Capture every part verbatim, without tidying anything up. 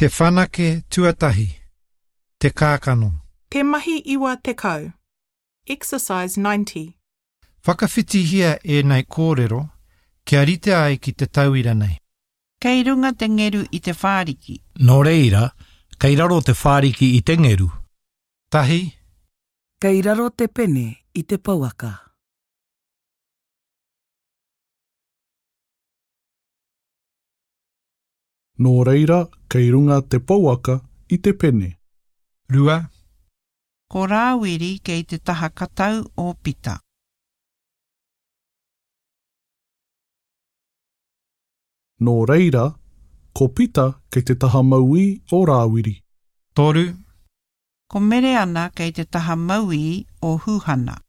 Te whanake tuatahi. Te kākano. Te mahi iwa tekau. Exercise ninety. Whakawhitihia ēnei kōrero kia rite ai ki te tauira nei. Kei runga te ngeru i te whāriki. Nō reira, kei raro te whāriki i te ngeru. Tahi. Kei raro te pene i te pouaka. Nō reira, kei runga te pouaka i te pene. Rua. Ko Rāwiri kei te taha katau o Pita. Nō reira, ko Pita kei te taha mauī o Rāwiri. Toru. Ko Mereana kei te taha mauī o Huhana.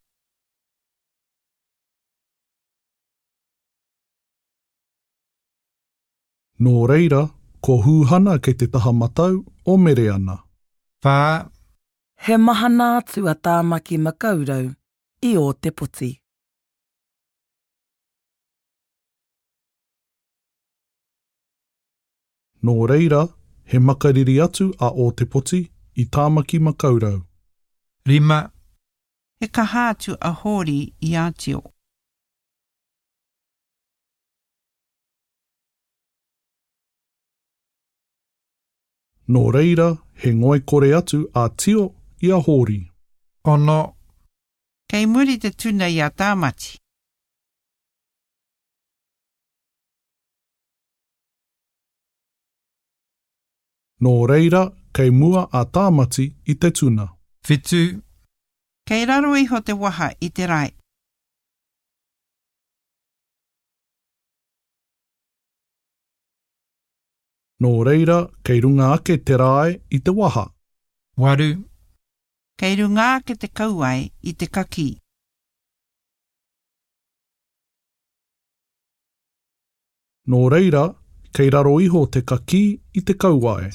Nō reira, ko Huhana kei te taha matau o Mereana. Whā. He mahana atu a Tāmaki Makaurau i Ōtepoti. Nō reira, he makariri atu a Ōtepoti i Tāmaki Makaurau. Rima. He kaha atu a Hōri i a Tio. Nō reira, he ngoikore atu a Tio i a Hōri. Ono. Kei muri te tuna i a Tāmati. Nō reira, kei mua a Tāmati i te tuna. Whitu. Kei raro iho te waha i te rae. Nō reira, kei runga ake te rae i te waha. Waru. Kei runga ake te kauae i te kakī. Nō reira, kei raro iho te kakī i te kauae.